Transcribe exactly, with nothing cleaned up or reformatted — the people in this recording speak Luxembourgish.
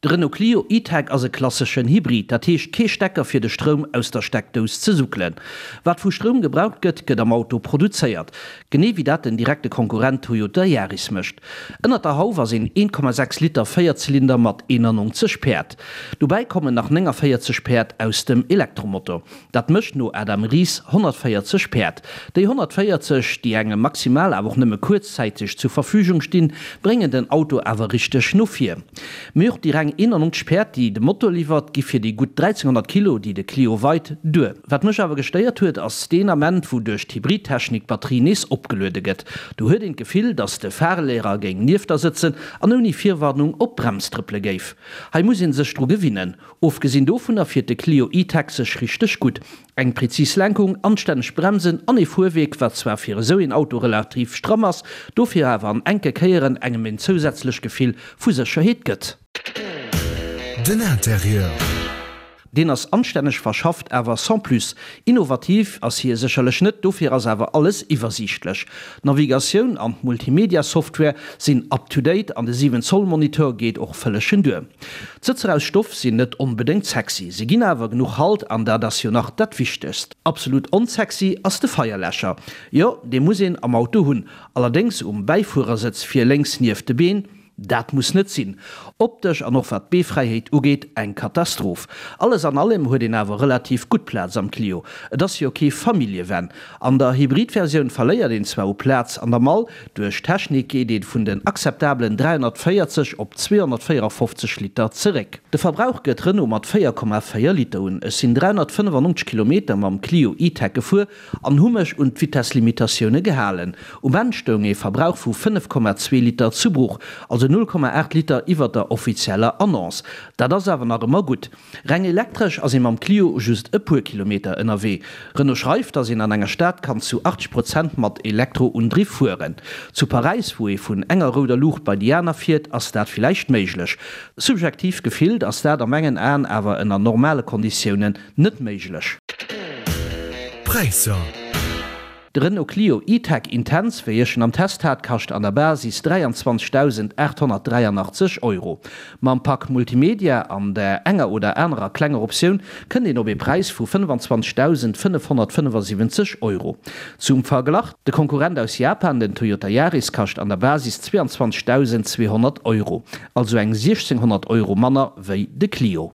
De Renault Clio E-Tech ass e klasseschen Hybrid, dat heescht kee Stecker fir de Stroum aus der Steckdous ze suckelen. Wat vu Stroum gebraucht gëtt, gëtt am Auto produzéiert. Genee wéi dat den direkte Konkurrent Toyota Yaris mécht. Ënnert der Hauf ass een een Komma sechs Liter Véierzylinder mat eenannonzeg Päerd. Dobäi kommen nach néngavéierzeg Päerd aus dem Elektromotor. Dat mécht no Adam Ries honnertvéierzeg Päerd. Déi honnertvéierzeg, déi engem maximal awer och nëmme kuerzzäiteg zur Verfügung stinn, bréngen den Auto awer richteg no vir. Mee och déi reng eenannonzeg Päerd, déi de Motor liwwert, gi fir déi gutt dräizénghonnert Kilo, déi de Clio weit, duer. Wat mech awer gestéiert huet, ass deen Ament, wou duerch d'Hybridtechnik d'Batterie nees opgeluede gëtt. Do huet een d'Gefill, dass de Fahrlehrer géing nieft der sëtzen an ouni Virwarnung op d'Brems trëppele géif. Hei muss een sech dru gewinnen. Ofgesinn dovunner fiert de Clio E-Tech sech richteg gutt. Eng präzis Lenkung, anstänneg Bremsen an ee Fuerwierk, wat zwar fir esou een Auto relativ stramm ass, dofir awer an enke Kéieren engem een zousätzlecht Gefill vu Sécherheet gëtt. Den Interieur. Deen ass anstänneg verschafft, awer sans plus. Innovativ ass hie sécherlech net, dofir ass awer alles iwwersiichtlech. D'Navigatioun an d'Multimedia-Software sinn up to date an de siwen Zoll Monitor geet och vëllegen duer. D'Sëtzer aus Stoff sinn net onbedéngt sexy, se ginn awer genuch Halt an dat ass jo nach dat Wichtegst. Absolut onsexy ass de Feierläscher. Jo, dee muss een am Auto hunn, allerdéngs um Bäifuerersëtz vir lénks nieft de Been. Dat muss net sinn. Optesch an och wat d'Beefräiheet ugeet, eng Katastroph. Alles an allem huet een awer relativ gutt Plaz am Clio. Et ass jo kee Familljevan. An der Hybridversioun verléiert een zwar u Plaz an der Mall, duerch d'Technik geet ee vun den akzeptabelen dräihonnertvéierzeg op zweehonnertvéierafofzeg Liter zeréck. De Verbrauch gëtt Renault mat véier Komma véier Liter un. Ech sinn dräihonnertfënnefannonzeg Kilometer mam Clio E-Tech gefuer an hu mech un d'Vitesslimitatioune gehalen. Um Enn stoung ee Verbrauch vu fënnef Komma zwee Liter zu Buch, also null Komma aacht Liter iwwer der offizieller Annonce. Dat ass awer nach ëmmer gutt. Reng elektresch ass ee mam Clio just e puer Kilometer ënnerwee. Renault schreift, datt een an enger Stad kann zu achtzeg Prozent mat Elektroundriff fueren. Zu Paräis, wou ee vun enger rouder Luucht bei déi aner fiert, ass dat villäicht méiglech. Subjektiv gefillt ass dat a mengen Aen awer ënner normale Konditiounen net méiglech. Präisser. De Renault Clio E-Tech Intense, wéi ech en am Test hat, kascht an der Basis dräianzwanzegdausendaathonnertdräianachtzeg Euro. Mam Pak Multimedia an der enger oder anerer klenger Optioun kënnt een op ee Präis vu fënnefanzwanzegdausendfënnefhonnertfënnefasiwwenzeg Euro. Zum Verglach, De Konkurrent aus Japan, den Toyota Yaris, kascht an der Basis zweeanzwanzegdausendzweehonnert Euro, also eng siechzénghonnert Euro manner wéi de Clio.